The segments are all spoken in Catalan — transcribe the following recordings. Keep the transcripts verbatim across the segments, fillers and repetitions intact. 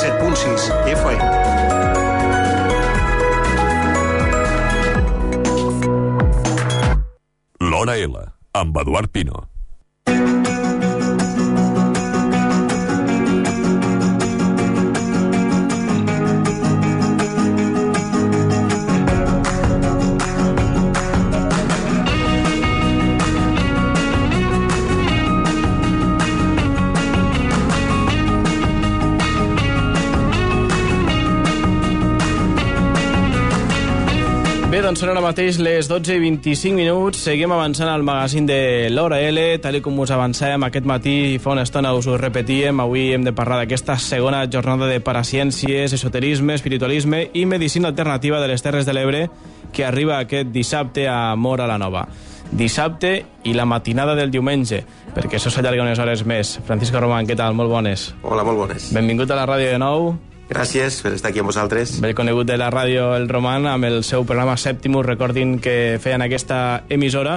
set punt sis F M. L'Hora L, amb Eduard Pino. Bé, doncs són ara mateix les dotze i vint-i-cinc minuts. Seguim avançant al magazín de l'Hora L. Tal com us avancem aquest matí, fa una estona us ho repetíem, avui hem de parlar d'aquesta segona jornada de paraciències, esoterisme, espiritualisme i medicina alternativa de les Terres de l'Ebre, que arriba aquest dissabte a Móra la Nova. Dissabte i la matinada del diumenge, perquè això s'allarga unes hores més. Francisco Román, què tal? Molt bones. Hola, molt bones. Benvingut a la ràdio de nou. Gràcies per estar aquí amb vosaltres. Bé conegut de la ràdio El Román amb el seu programa Septimus, recordin que feien aquesta emissora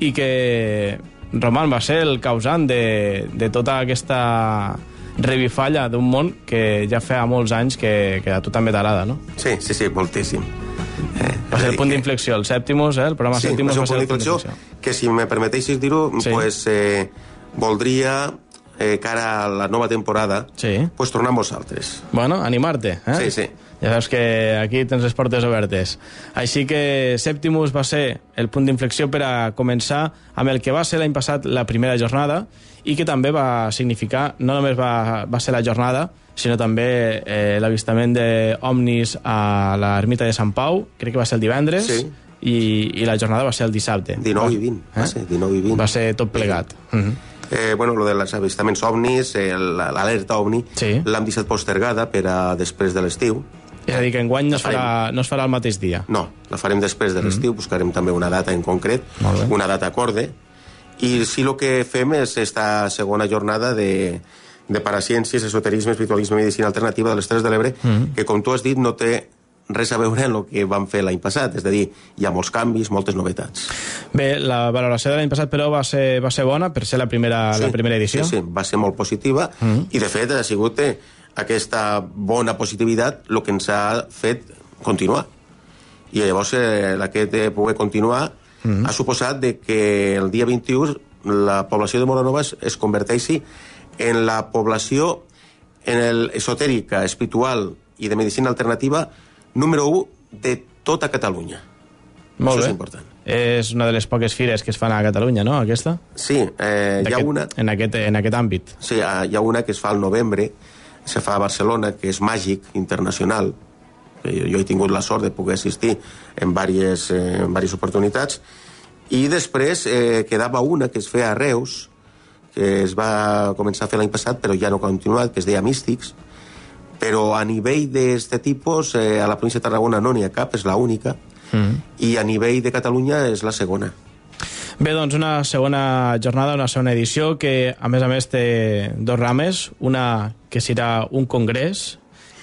i que Román va ser el causant de, de tota aquesta revifalla d'un món que ja feia molts anys que, que a tu també t'agrada, no? Sí, sí, sí, moltíssim. Eh, va ser el punt d'inflexió, el Septimus, eh? El programa sí, Septimus va ser va un punt d'inflexió que, si me permeteixis dir-ho, sí. pues, eh, voldria... Eh, cara a la nova temporada, sí. pues tornar amb vosaltres. Bueno, animar-te, eh? Sí, sí. Ja saps que aquí tens les portes obertes. Així que Septimus va ser el punt d'inflexió per a començar amb el que va ser l'any passat la primera jornada i que també va significar, no només va, va ser la jornada, sinó també eh, l'avistament d'ovnis a l'ermita de Sant Pau, crec que va ser el divendres, sí. i, i la jornada va ser el dissabte. dinou i vint, eh? va ser dinou i vint. Va ser tot plegat. Sí. Uh-huh. Eh, bueno, lo dels avistaments ovnis, eh, l'alerta ovni, sí. l'hem deixat postergada per a després de l'estiu. És a dir, que enguany no es, farà, no es farà el mateix dia. No, la farem després de l'estiu, mm. buscarem també una data en concret, una data acorde, i sí el que fem és esta segona jornada de, de paraciències, esoterisme, espiritualisme i medicina alternativa de les Terres de l'Ebre, mm. que, com tu has dit, no té res a veure amb el que vam fer l'any passat, és a dir, hi ha molts canvis, moltes novetats. Bé, la valoració de l'any passat, però, va ser, va ser bona per ser la primera, sí, la primera edició? Sí, sí, va ser molt positiva, mm. i de fet ha sigut eh, aquesta bona positivitat el que ens ha fet continuar. I llavors eh, aquest de poder continuar mm. ha suposat de que el dia vint-i-u la població de Móra la Nova es, es converteixi en la població en el esotèrica, espiritual i de medicina alternativa número u de tota Catalunya. Molt Això bé. és important. És una de les poques fires que es fan a Catalunya, no, aquesta? Sí, eh, hi ha una... En aquest, en aquest àmbit. Sí, hi ha una que es fa al novembre, se fa a Barcelona, que és Màgic Internacional. Jo he tingut la sort de poder assistir en diverses, eh, en diverses oportunitats. I després eh, quedava una que es feia a Reus, que es va començar a fer l'any passat, però ja no ha continuat, que es deia Místics. Però a nivell d'aquest tipus, eh, a la província de Tarragona no n'hi ha cap, és l'única, mm. i a nivell de Catalunya és la segona. Bé, doncs una segona jornada, una segona edició, que a més a més té dos rames, una que serà un congrés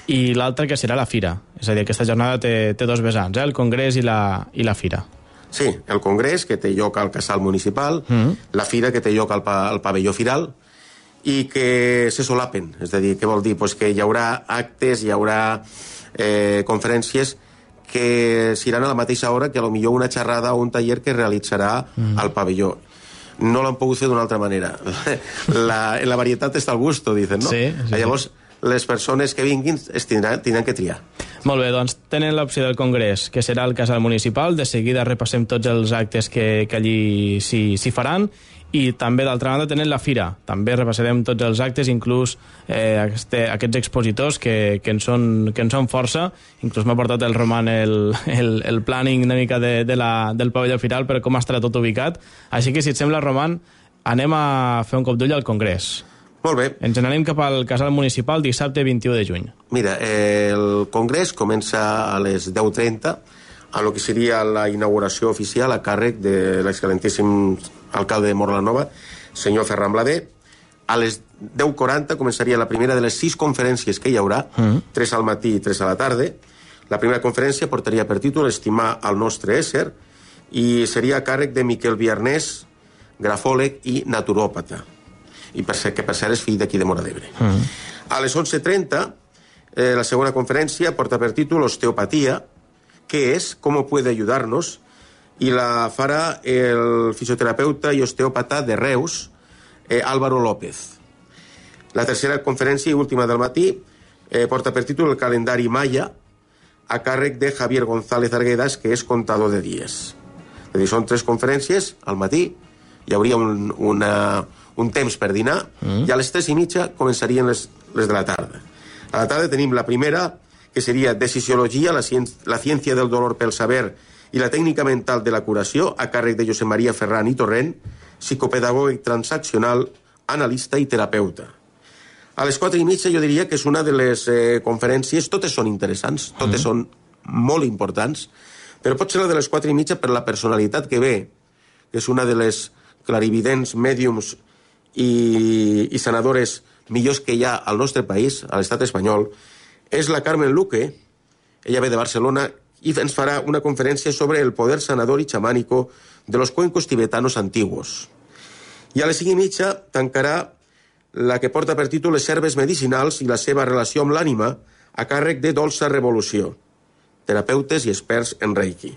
i l'altra que serà la fira. És a dir, aquesta jornada té, té dos vessants, eh? El congrés i la, i la fira. Sí, el congrés, que té lloc al casal municipal, mm. la fira, que té lloc al, pa, al pavelló firal, i que se solapen, és a dir, què vol dir? Pues que hi haurà actes, hi haurà eh, conferències que seran a la mateixa hora que a lo millor una xerrada o un taller que realitzarà mm. al pavelló. No l'han pogut fer d'una altra manera. La, la varietat està al gusto, dicen, no? Sí, sí, Llavors, sí. les persones que vinguin es tindran, tindran que triar. Molt bé, doncs tenen l'opció del congrés, que serà el casal municipal. De seguida repassem tots els actes que, que allí s'hi faran. I també, d'altra banda, tenen la fira. També repassarem tots els actes, inclús eh, este, aquests expositors que, que, en són, que en són força. Inclús m'ha portat el Roman el, el, el planning una mica de, de la, del pavelló firal, però com estarà tot ubicat. Així que, si et sembla, Roman, anem a fer un cop d'ull al congrés. Molt bé. Ens n'anem cap al casal municipal dissabte vint-i-u de juny. Mira, eh, el congrés comença a les deu trenta, a lo que seria la inauguració oficial a càrrec de l'excel·lentíssim alcalde de Móra la Nova, senyor Ferran Blader. A les deu quaranta començaria la primera de les sis conferències que hi haurà, mm. tres al matí i tres a la tarda. La primera conferència portaria per títol Estimar el nostre ésser i seria a càrrec de Miquel Viarnés, grafòleg i naturòpata, i per ser, que per cert és fill d'aquí de Móra d'Ebre. Mm. A les onze trenta Eh, la segona conferència porta per títol Osteopatía, ¿qué es? ¿Cómo puede ayudarnos? I la farà el fisioterapeuta i osteòpata de Reus, eh, Álvaro López. La tercera conferència i última del matí eh, porta per títol El calendari Maya, a càrrec de Javier González Arguedas, que és contador de dies. És a dir, són tres conferències al matí, hi hauria un, una, un temps per dinar, mm. i a les tres i mitja començarien les, les de la tarda. A la tarda tenim la primera, que seria Decisiologia, la, ciència, la ciència del dolor pel saber i la tècnica mental de la curació, a càrrec de Josep Maria Ferran i Torrent, psicopedagògic transaccional, analista i terapeuta. A les quatre i mitja jo diria que és una de les eh, conferències, totes són interessants, totes mm. són molt importants, però pot ser la de les quatre i mitja per la personalitat que ve, que és una de les clarividents, mèdiums i, i sanadores millors que hi ha al nostre país, a l'estat espanyol, és la Carmen Luque, ella ve de Barcelona, i ens farà una conferència sobre el poder sanador y chamánico de los cuencos tibetanos antiguos. I a les cinc i mitja tancarà la que porta per títol Les herbes medicinals i la seva relació amb l'ànima, a càrrec de Dolça Revolució, terapeutes i experts en Reiki.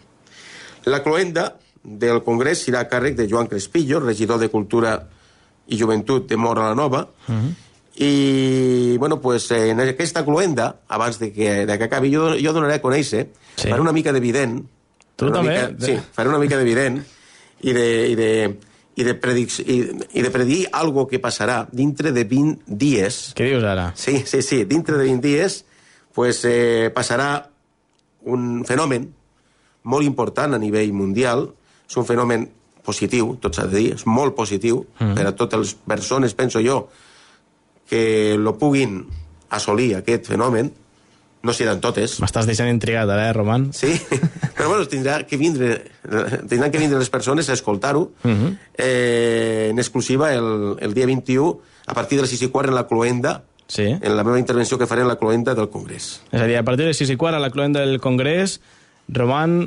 La cloenda del congrés serà a càrrec de Joan Crespillo, regidor de Cultura i Joventut de Móra la Nova, uh-huh. i bueno, pues, en aquesta cloenda, abans de que, de que acabi, jo, jo donaré a conèixer, sí. faré una mica d'evident, tu també? Mica, sí, faré una mica d'evident, i de... I de I de, predic i, i de predir algo que passarà dintre de vint dies. Què dius ara? Sí, sí, sí. Dintre de vint dies pues, eh, passarà un fenomen molt important a nivell mundial. És un fenomen positiu, tot s'ha de dir, és molt positiu mm. per a totes les persones, penso jo, que lo puguin assolir aquest fenomen. No seran totes. M'estàs deixant intrigat, ara, eh, Roman? Sí, però bueno, tindrà que vindre, tindran que vindre les persones a escoltar-ho uh-huh. eh, en exclusiva el, el dia vint-i-u, a partir de les sis i quart en la cloenda, sí. en la meva intervenció que faré en la cloenda del Congrés. És a dir, a partir de les sis i quart a la cloenda del Congrés, Roman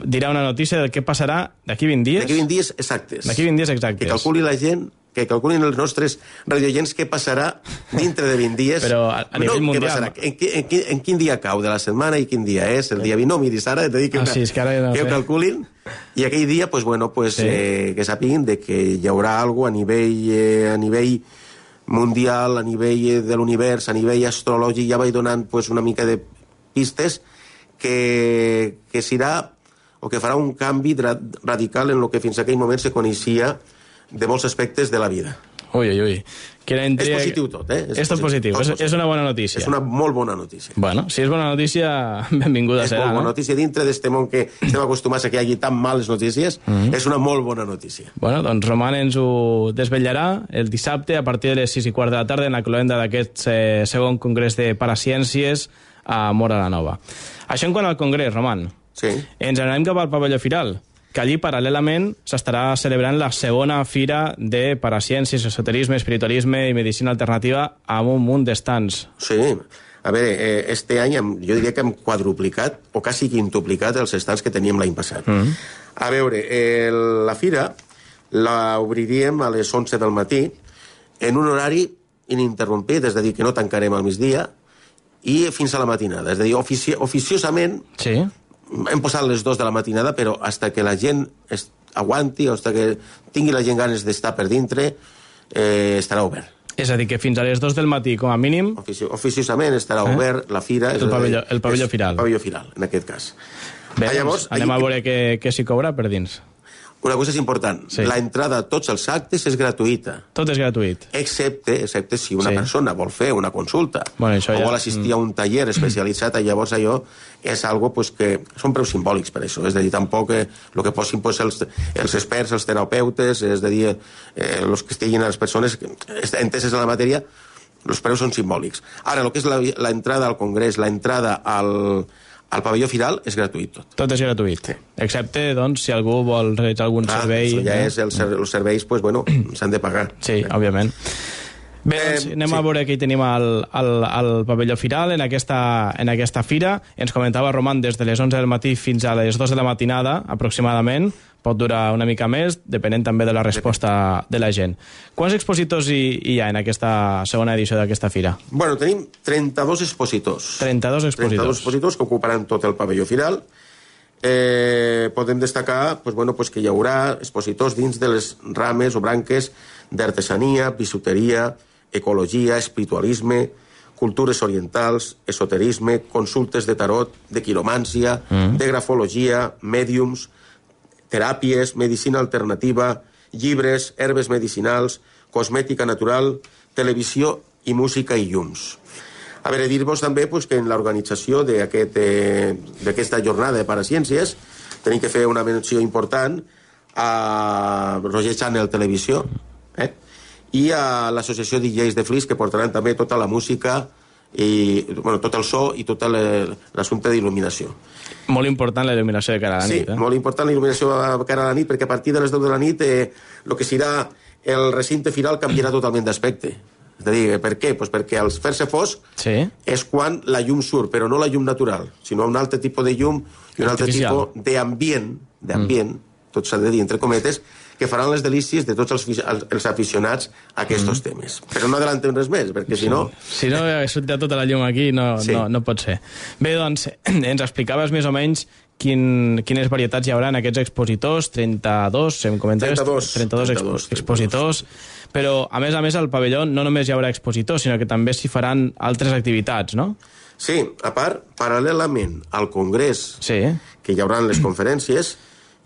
dirà una notícia del què passarà d'aquí vint dies? D'aquí vint dies exactes. D'aquí vint dies exactes. Que calculi la gent, que calculin els nostres radioients què passarà dintre de vint dies. Però a, a nivell no, mundial... En, en, en, en quin dia cau de la setmana i quin dia és? El dia vint, no, miris, ara t'he dit que, ah, sí, és que, ara no que ho calculin. I aquell dia, pues, bueno, pues, sí. eh, que sàpiguen de que hi haurà algo a nivell, eh, a nivell mundial, a nivell de l'univers, a nivell astrològic, ja vaig donant pues, una mica de pistes que, que serà o que farà un canvi radical en el que fins a aquell moment se coneixia de molts aspectes de la vida. Ui, ui, ui. Intria... És positiu tot, eh? És, és tot positiu, tot és, positiu. És una bona notícia. És una molt bona notícia. Bueno, si és bona notícia, benvinguda és serà, molt bona no? notícia dintre d'este món que estem acostumats a que hi hagi tan males notícies, mm-hmm. és una molt bona notícia. Bueno, doncs Roman ens ho desvetllarà el dissabte a partir de les sis i quart de la tarda en la cloenda d'aquest eh, segon congrés de Paraciències a Móra la Nova. Això en quant al congrés, Roman. Sí. Ens anem cap al pavelló Firal, que allí paral·lelament s'estarà celebrant la segona fira de paraciències, esoterisme, espiritualisme i medicina alternativa amb un munt d'estants. Sí, a veure, eh, este any hem, jo diria que hem quadruplicat o quasi quintuplicat els estants que teníem l'any passat. Mm. A veure, eh, la fira la obriríem a les onze del matí en un horari ininterrompit, és a dir, que no tancarem al migdia, i fins a la matinada. És a dir, ofici oficiosament... Sí. Hem posat les dues de la matinada, però hasta que la gent aguanti, o hasta que tingui la gent ganes d'estar per dintre, eh, estarà obert. És a dir, que fins a les dues del matí, com a mínim... Ofici oficiosament estarà eh? obert la fira... El pavelló, el pavelló Firal. El pavelló Firal, en aquest cas. Bé, ah, llavors, anem a veure què, què s'hi cobra per dins. Una cosa és important, sí. La entrada a tots els actes és gratuïta. Tot és gratuït. Excepte, excepte si una sí. persona vol fer una consulta bueno, o ja... vol assistir mm. a un taller especialitzat, llavors allò és algo pues, que són preus simbòlics per això. És a dir, tampoc eh, el que posin pues, els, els experts, els terapeutes, és a dir, eh, els que estiguin a les persones enteses en la matèria, els preus són simbòlics. Ara, el que és l'entrada al congrés, l'entrada al... Al pavelló Firal és gratuït tot. Tot és gratuït. Sí. Excepte, doncs, si algú vol realitzar algun ah, servei... Això ja eh? és, els, els serveis, pues, bueno, s'han de pagar. Sí, eh? òbviament. Bé, doncs Eh, anem sí. a veure què hi tenim al, al, al pavelló Firal en aquesta, en aquesta fira. Ens comentava Roman des de les onze del matí fins a les dos de la matinada, aproximadament. Pot durar una mica més, depenent també de la resposta de la gent. Quants expositors hi, hi ha en aquesta segona edició d'aquesta fira? Bueno, tenim trenta-dos expositors. trenta-dos expositors. trenta-dos expositors que ocuparan tot el pavelló Firal. Eh, podem destacar pues, bueno, pues, que hi haurà expositors dins de les rames o branques d'artesania, bisuteria, ecologia, espiritualisme, cultures orientals, esoterisme, consultes de tarot, de quiromància, mm. de grafologia, mèdiums, teràpies, medicina alternativa, llibres, herbes medicinals, cosmètica natural, televisió i música i llums. A veure, dir-vos també pues, que en l'organització d'aquesta eh, jornada de Paraciències tenim que fer una menció important a Roger Channel Televisió eh? i a l'Associació de D Js de Flix, que portaran també tota la música i bueno, tot el so i tot l'assumpte d'il·luminació. Molt important la il·luminació de cara a la sí, nit. Eh? molt important la il·luminació de cara a la nit, perquè a partir de les deu de la nit el eh, que serà el recinte firal canviarà totalment d'aspecte. És a dir, per què? Pues perquè al fer-se fosc sí. és quan la llum surt, però no la llum natural, sinó un altre tipus de llum i un altre artificial. tipus d'ambient, d'ambient, mm. tot s'ha de dir entre cometes, que faran les delícies de tots els, els, els aficionats a aquests mm. temes. Però no adellantem res més, perquè si no... Si no, sortirà tota la llum aquí, no, sí. no, no pot ser. Bé, doncs, ens explicaves més o menys quin, quines varietats hi haurà en aquests expositors, trenta-dos, em comentaves? trenta-dos. trenta-dos, trenta-dos expositors. Però, a més a més, al pavelló no només hi haurà expositors, sinó que també s'hi faran altres activitats, no? Sí, a part, paral·lelament al congrés, sí. que hi haurà les conferències,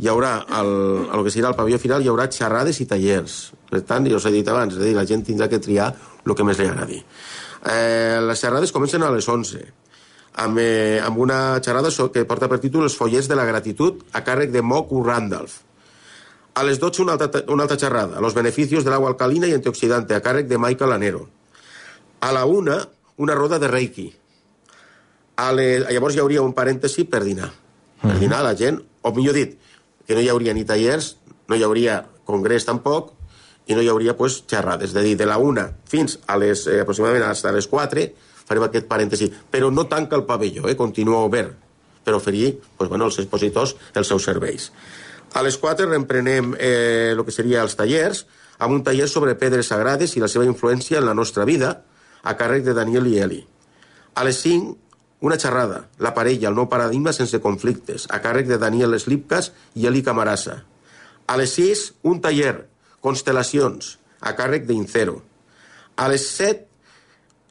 hi haurà, el, el que serà el pavelló final, hi haurà xerrades i tallers. Per tant, ja us he dit abans, és a dir, la gent tindrà que triar el que més li agradi. Eh, les xerrades comencen a les onze, amb, eh, amb una xerrada que porta per títol Els follets de la gratitud, a càrrec de Mock U. Randolph. A les dotze una altra, una altra xerrada, Los beneficios del agua alcalina y antioxidante, a càrrec de Michael Lanero. A la una, una roda de Reiki. A les, llavors hi hauria un parèntesi per dinar. Per Mm. dinar la gent, o millor dit, que no hi hauria ni tallers, no hi hauria congrés tampoc, i no hi hauria pues, xerrades. És a dir, de la una fins a les, eh, aproximadament a les quatre, farem aquest parèntesi. Però no tanca el pavelló, eh, continua obert, per oferir pues, bueno, als expositors els seus serveis. A les quatre reemprenem eh, el que seria els tallers, amb un taller sobre pedres sagrades i la seva influència en la nostra vida, a càrrec de Daniel i Eli. A les cinc, una xerrada, la parella, el nou paradigma sense conflictes, a càrrec de Daniel Slipkas i Eli Camarasa. A les sis, un taller, constel·lacions, a càrrec d'Incero. A les set,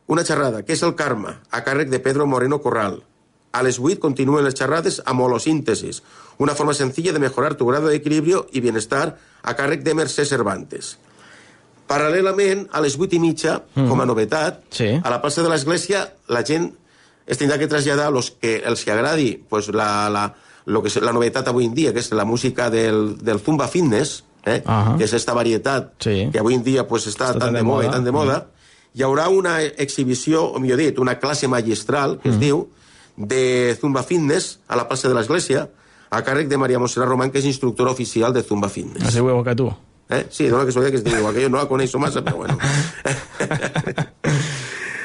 una xerrada, què és el karma, a càrrec de Pedro Moreno Corral. A les vuit continuen les xerrades amb holosíntesis, una forma sencilla de mejorar tu grado de equilibrio y bienestar, a càrrec de Mercè Cervantes. Paral·lelament, a les vuit i mitja, mm. com a novetat, sí. a la plaça de l'Església, la gent es tindrà que traslladar los que els que agradi pues, la, la, lo que és la novetat avui en dia, que és la música del, del Zumba Fitness, eh? uh -huh. que és esta varietat sí. que avui en dia pues, està, està tan, tan de moda i tan de moda. Mm. Hi haurà una exhibició, o millor dit, una classe magistral, que mm. es diu, de Zumba Fitness a la plaça de l'Església, a càrrec de Maria Montserrat Román, que és instructora oficial de Zumba Fitness. Es diu igual que tu. Eh? Sí, dona que es que es diu igual que jo, no la coneixo massa, però bueno.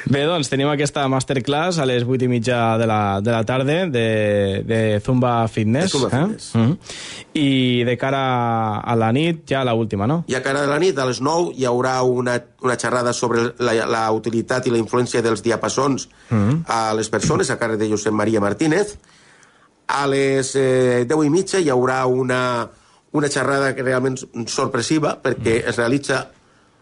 Bé, doncs tenim aquesta masterclass a les vuit i mitja de la, de la tarda de, de Zumba Fitness. De Zumba Fitness. Eh? Mm -hmm. I de cara a la nit, ja la última, no? I a cara de la nit, a les nou, hi haurà una, una xerrada sobre la, la utilitat i la influència dels diapasons mm -hmm. a les persones, a càrrec de Josep Maria Martínez. A les eh, deu i mitja hi haurà una, una xerrada que realment sorpressiva, perquè mm. es realitza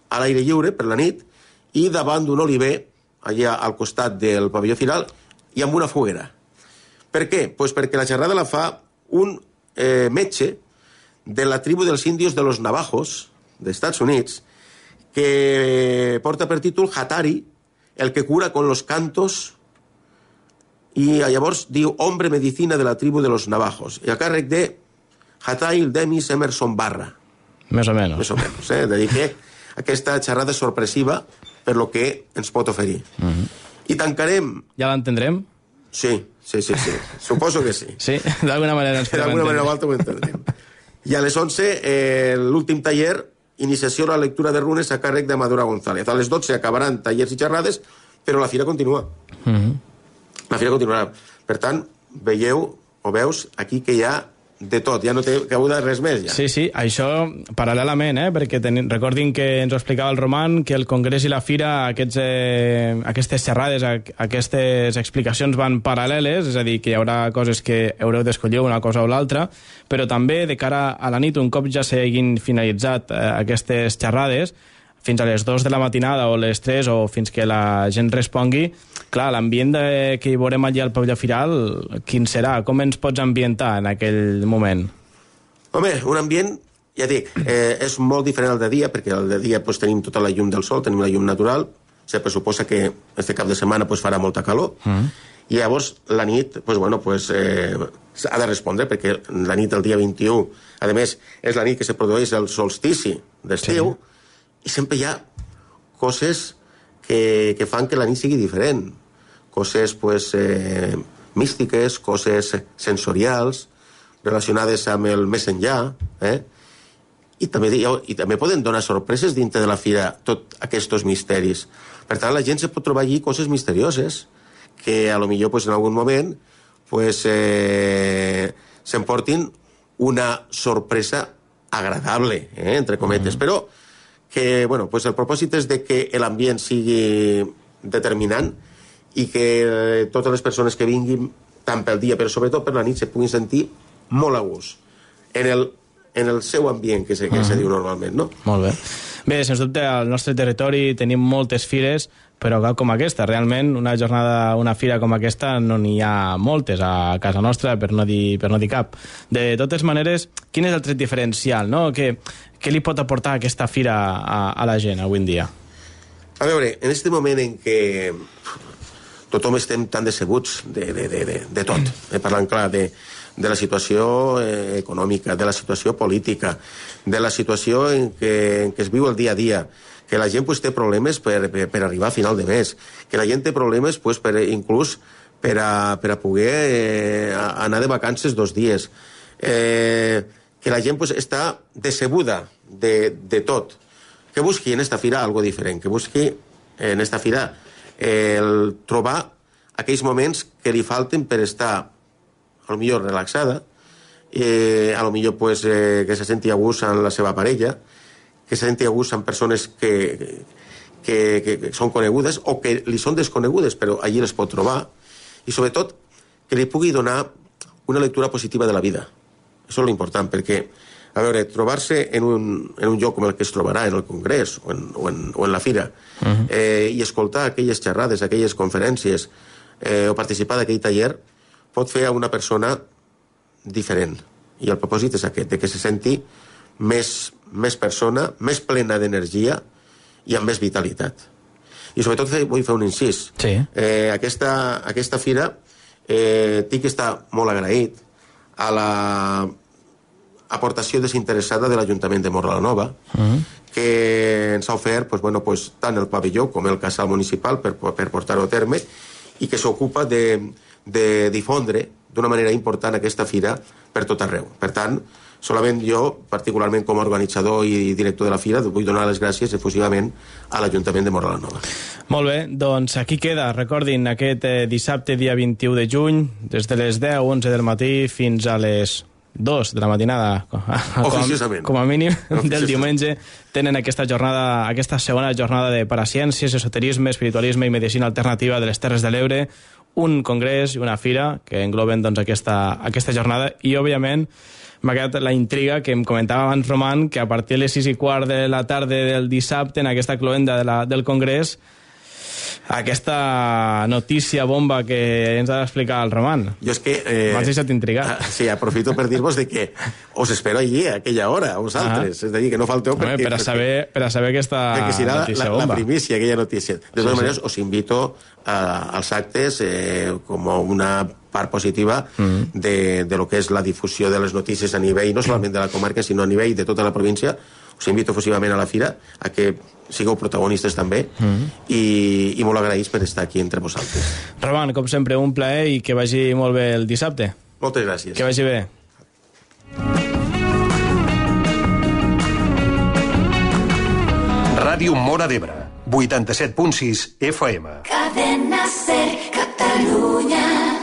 a l'aire lliure, per la nit, i davant d'un oliver, allà al costat del pavelló final, i amb una foguera. Per què? Pues perquè la xerrada la fa un eh, metge de la tribu dels índios de los Navajos, d'Estats Units, que porta per títol Hatari, el que cura con los cantos, i llavors diu Hombre Medicina de la tribu de los Navajos, i a càrrec de Hatail Demis Emerson Barra. Més o menys. Més o menys, eh? De dir que aquesta xerrada sorpressiva per lo que ens pot oferir. Uh -huh. I tancarem... Ja l'entendrem? Sí, sí, sí, sí. Suposo que sí. Sí, d'alguna manera ens podem entendre. D'alguna manera o altra ho entendrem. I a les onze, eh, l'últim taller iniciació a la lectura de runes a càrrec de Madura González. A les dotze acabaran tallers i xerrades, però la fira continua. Mm-hmm. La fira continuarà. Per tant, veieu o veus aquí que hi ha de tot, ja no té cabuda res més. Ja. Sí, sí, això paral·lelament, eh? Perquè ten... recordin que ens ho explicava el Roman, que el Congrés i la Fira, aquests, eh, aquestes xerrades, aquestes explicacions van paral·leles, és a dir, que hi haurà coses que haureu d'escollir una cosa o l'altra, però també de cara a la nit, un cop ja s'hagin finalitzat eh, aquestes xerrades, fins a les dues de la matinada o les tres o fins que la gent respongui, clar, l'ambient que hi veurem allà al pavelló firal, quin serà? Com ens pots ambientar en aquell moment? Home, un ambient, ja dic, eh, és molt diferent al de dia, perquè al de dia pues, tenim tota la llum del sol, tenim la llum natural, se pressuposa que este cap de setmana pues, farà molta calor, mm. i llavors la nit, pues, bueno, pues, eh, ha de respondre, perquè la nit del dia vint-i-u, a més, és la nit que se produeix el solstici d'estiu, sí. I sempre hi ha coses que, que fan que la nit sigui diferent. Coses, pues, eh, místiques, coses sensorials, relacionades amb el més enllà, eh? I també, i també poden donar sorpreses dintre de la fira, tots aquests misteris. Per tant, la gent se pot trobar allí coses misterioses, que a lo millor, pues, en algun moment, pues, eh, s'emportin una sorpresa agradable, eh? Entre cometes. Mm. Però que, bueno, pues el propòsit és de que l'ambient sigui determinant i que totes les persones que vinguin, tant pel dia, però sobretot per la nit, se puguin sentir molt a gust en el, en el seu ambient, que se, que uh-huh. se diu normalment, no? Molt bé. Bé, sens dubte, al nostre territori tenim moltes fires, però cap com aquesta. Realment, una jornada, una fira com aquesta, no n'hi ha moltes a casa nostra, per no dir, per no dir cap. De totes maneres, quin és el tret diferencial, no? Què, què li pot aportar aquesta fira a, a la gent avui en dia? A veure, en aquest moment en què tothom estem tan decebuts de, de, de, de, de tot, eh, parlant clar de, de la situació eh, econòmica, de la situació política, de la situació en què, en què es viu el dia a dia, que la gent pues, té problemes per, per, per arribar a final de mes, que la gent té problemes pues, per, inclús per a, per a poder eh, anar de vacances dos dies, eh, que la gent pues, està decebuda de, de tot, que busqui en esta fira algo diferent, que busqui en esta fira eh, el trobar aquells moments que li falten per estar a lo millor relaxada, eh, a lo millor pues, eh, que se senti a gust amb la seva parella, que se senti a gust amb persones que, que, que, que són conegudes o que li són desconegudes, però allí les pot trobar, i sobretot que li pugui donar una lectura positiva de la vida. Això és l'important, perquè, a veure, trobar-se en un, en un lloc com el que es trobarà en el Congrés o en, o en, o en la Fira, uh-huh. eh, i escoltar aquelles xerrades, aquelles conferències, eh, o participar d'aquell taller, pot fer a una persona diferent. I el propòsit és aquest, de que se senti més, més persona, més plena d'energia i amb més vitalitat. I sobretot vull fer un incís. Sí. Eh, aquesta, aquesta fira eh, tinc que estar molt agraït a la aportació desinteressada de l'Ajuntament de Móra la Nova, uh-huh. que ens ha ofert pues, bueno, pues, tant el pavelló com el casal municipal per, per portar-ho a terme, i que s'ocupa de, de difondre d'una manera important aquesta fira per tot arreu. Per tant, solament jo, particularment com a organitzador i director de la fira, vull donar les gràcies efusivament a l'Ajuntament de Móra la Nova. Molt bé, doncs aquí queda, recordin, aquest eh, dissabte, dia vint-i-u de juny, des de les deu, onze del matí fins a les dos de la matinada, com a, com a mínim, del diumenge, tenen aquesta jornada, aquesta segona jornada de paraciències, esoterisme, espiritualisme i medicina alternativa de les Terres de l'Ebre, un congrés i una fira que engloben doncs, aquesta, aquesta jornada, i òbviament m'ha quedat la intriga que em comentava abans Roman, que a partir de les sis i quart de la tarda del dissabte, en aquesta cloenda de la, del congrés, aquesta notícia bomba que ens ha d'explicar el Roman. Jo és que... Eh, M'has deixat intrigat. Sí, aprofito per dir-vos de que us espero allí a aquella hora, a vosaltres. Ah. És a dir, que no falteu perquè... Home, per, a saber, per a saber aquesta serà notícia la, bomba. La primícia, aquella notícia. De totes sí, maneres, sí. Us invito a, als actes eh, com una part positiva mm. de, de lo que és la difusió de les notícies a nivell, no solament de la comarca, sinó a nivell de tota la província. Us invito efusivament a la fira a que sigueu protagonistes també mm. i, i molt agraïts per estar aquí entre vosaltres. Roman, com sempre, un plaer i que vagi molt bé el dissabte. Moltes gràcies. Que vagi bé. Ràdio Móra d'Ebre, vuitanta-set punt sis F M. Cadena Ser Catalunya.